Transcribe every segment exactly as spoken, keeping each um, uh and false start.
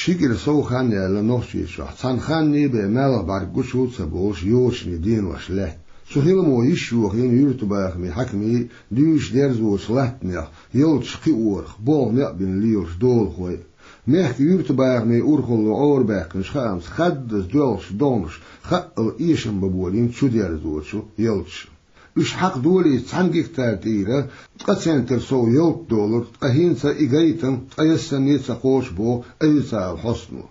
Ши кӀира сов хан яьлла Нохчийчохь, цхьана ханна бен маьлха бӀаьрг гучу а ца болуш, йочане денош лаьтта. Цу хиламо йиш йохийна юьртабахамийн хьаькамийн дуьйцу дерзочу латтанех, ялташ кхиорах болх некъ бина лелаш долахой а. Мехкан юьртабахамийн урхалло Ӏорабаьккхинчу хаамца, хаддаза доьлхучу догӀнаша хаъал эшам бан болийна чудерзочу ялташа. Уьш хьакха долийча цхьана гектар тӀера ткъа центнер сов ялта долура, ткъа хӀинца и гайтам ткъаесналла а ца кхочуш, боху официалан хьостано.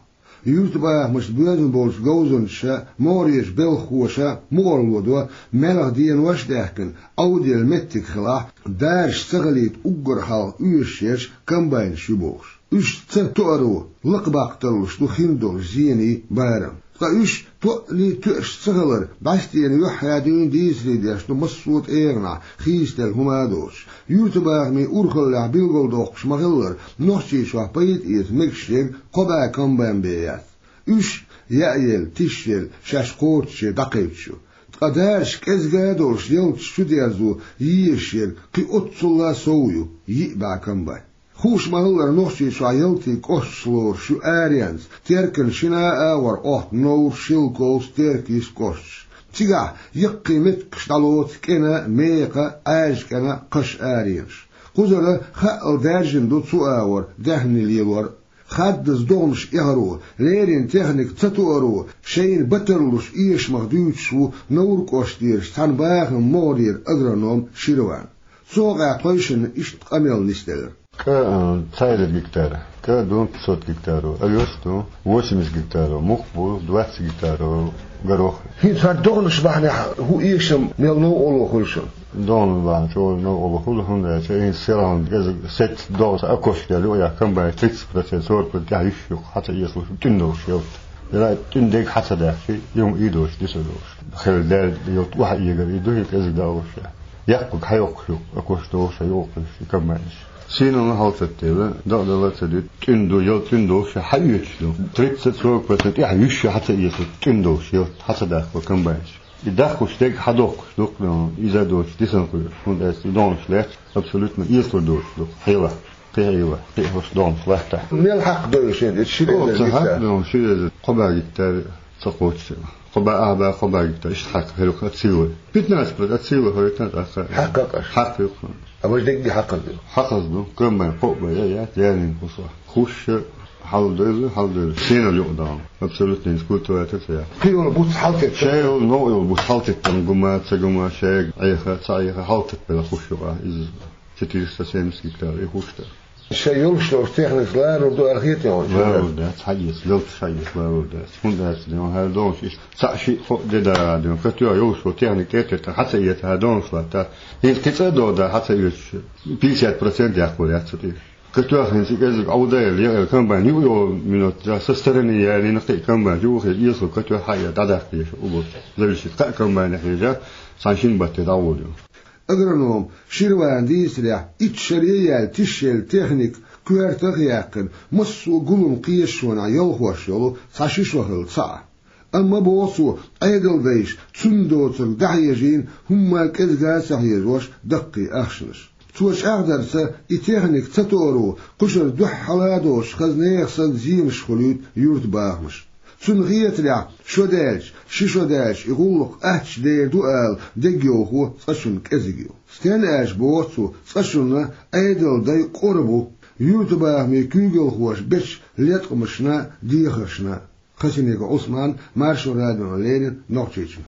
Юьртабахамашца боьзна болчу говзанчаша, могӀарерчу белхахоша мукъарло до, маьлхан денош а даьккхина, Ӏовдал меттиг хилахь, даржаш ца хилийта уггар хьалха оьшуш ерш комбайнаш ю бохуш. Уьш ца тоаро лакхабаккха тарлуш ду хин долу зенийн барам. Ткъа уьш тоъаллий тоьаш ца хилар бӀаьстенан юьххьехь дуьйна дийцаре деш ду массо а тӀегӀанехь, хийцаделла хӀума а доцуш. Юьртабахамийн урхаллехь билгалдоккхуш ма-хиллара, Нохчийчохь пайда эца мегаш ерг кхо бӀе комбайн бен яц. Уьш, яа елла, тиша елла, шаьш кхочушъе дӀакхаьчча ю. Ткъа даржаш кӀезиг а долуш, ялташ чудерзо езаш ерг кхин оццул а сов ю, йиъ бӀе комбайн. Хууш ма-хиллара, Нохчийчохь ялтийн кӀошташ лоруш ю аренца, Теркана шина а агӀор Ӏохту Новр, Шелковск, Теркйист кӀошташ. Цигахь яккхий меттигаш дӀалоцу кӀена, мекха, Ӏаьржа кӀена, кхаш аренаш. Кхузара хаъал даьржина ду цу агӀор даьхни лелор а. Хаддаза догӀнаш эхаро, леррина техника ца тоаро шайна бан тарлуш эшамах дуьйцуш ву Новр кӀоштарчу цхьана бахаман могӀарера агроном Ширван. Цу хьокъехь тхойшинна иштта къамел нисделира. КӀа, а, цхьа эзар гектар, кӀа ду пятьсот гектаро овёс ду, восемьдесят гектаро мух бу, двадцать гектаро горох. ХӀинца хӀара догӀнаш бахьанехь хӀун эшам мел новкъарло хуьлу шуна? ДогӀнаш бахьана чӀогӀа новкъарло хуьлу, хӀунда аьлча хӀинца селхана кӀезиг сетта догӀу, сан окошка яьлла юкъа яьккхина бен, тридцать процент, сорок процент тӀехь йиш ю хьан ца эцалуш, тӀуьна долуш ялта. Яра тӀуьна дерг хьан ца даьккхи, юха и доцуш, диса доцуш. Хила даьлла ялта охьа эгар и ду, хӀинца кӀезиг далуш. Яккхарг хьайоккхуш ю, окошка догӀуш а йоккхуш и комбайнаш. Сийналла хьалатеттелла, дакъа дала а ца дитта, тӀуьна ду, ялта тӀуьна долуш хьаоьцуш ду. Тридцать, сорок процент тӀехь йиш ю хьан ца эцалуш, тӀуьна долуш ялта хьан ца даьккхи комбайнаш. И даккхуш дерг хьадоккхуш ду-кх, иза доцуш дисина кхуьуш, хӀунда аьлча и догӀнаш лаьтташ абсолютно эцалур доцуш ду-кх хьелах, кхин хьелах, кхин хӀорш догӀнаш латтахь. Мел хьакха до шен, ши эзар гектар? Хьакха до ши эзар, кхо бӀе гектар ца кхоччуш. Кхо бӀе, ах бӀе, кхо бӀе гектар, иштта хьакха хир ю-кх от силы. Пятнадцать процент от силы хӀоьттина тӀаккха. Хьакха каш? Хьакха ю-кх. А важа дегги хьакхаза ду? Хьакхаза ду, комбайн кхоъ бен я, я, яьрнийн кхуссо. Хушша хьалдойла, хьалдойла. Сенал юкъа дагӀна. Абсолютно хӀинца культиватор ца яц. Кхин йолу буц хьалтеттар? Шайн йолу новкъа йолу буц хьалтеттарна гума, ца гума, шайга Ӏеха, ца Ӏеха, хьалтеттабелла хуш юкъа иза. Четыреста семьдесят гектар и хуш дара. Шайн йолуш долчу техникаца ларур ду аьлла хета хьуна? Ларур дац, хьаэца, лелташ хьаэца ларур дац. ХӀунда аьлча ден, хьайн догӀуш иштта цхьаъ шиъ кхоъ де дара ден. Катоьга йолуш волу техника тӀе а теттина, хьан ца эца, хьайн догӀуш латта. ХӀинца кхин цӀа а догӀу да, хьан ца оьцуш. Пятьдесят процент яккхур яц цу тӀе. Катоьх хӀинца и кӀезиг Ӏовдайла, яа комбайн юкъа йолу минот, со стороны яьллина кхин а комбайн юкъа хила, эцалур катоьх хьаэца дӀадаккха деза убур. Зависит, кхаа комбайн хьежа, цхьана шина баттахь дӀагӀур ю. Агроном Ширвана дийцарехь, итт шаре яьлла тишъелла техника коьртах а яьккхина, массо а гулам кхеташонехь ялхош йолу цхьа ши шо хилла цхьаъ. Амма, боху цо, Ӏедалдайша цунна доцург дӀахьежийна, хӀумма кӀезга а ца хьежош даккхий ахчанаш. Цо чӀагӀдарца, и техника ца тоаро кхушара дуьххьала а доцуш, хаза нехан санна зенаш хуьлуьйту юьртабахамаш. Цунна хетарехь, шо даьлча, ши шо даьлча, и гӀуллакх аттачу дер ду ала дегайовхо цкъачунна кӀезиг ю. Стенна аьлча, боху цо, цкъачунна Ӏедалдай къора бу юьртабахамийн куьйгалхоша бечу леткъамашна, дехаршна. Хасимиков Ӏусман, Маршо радиона леррина, Нохчийчуьра.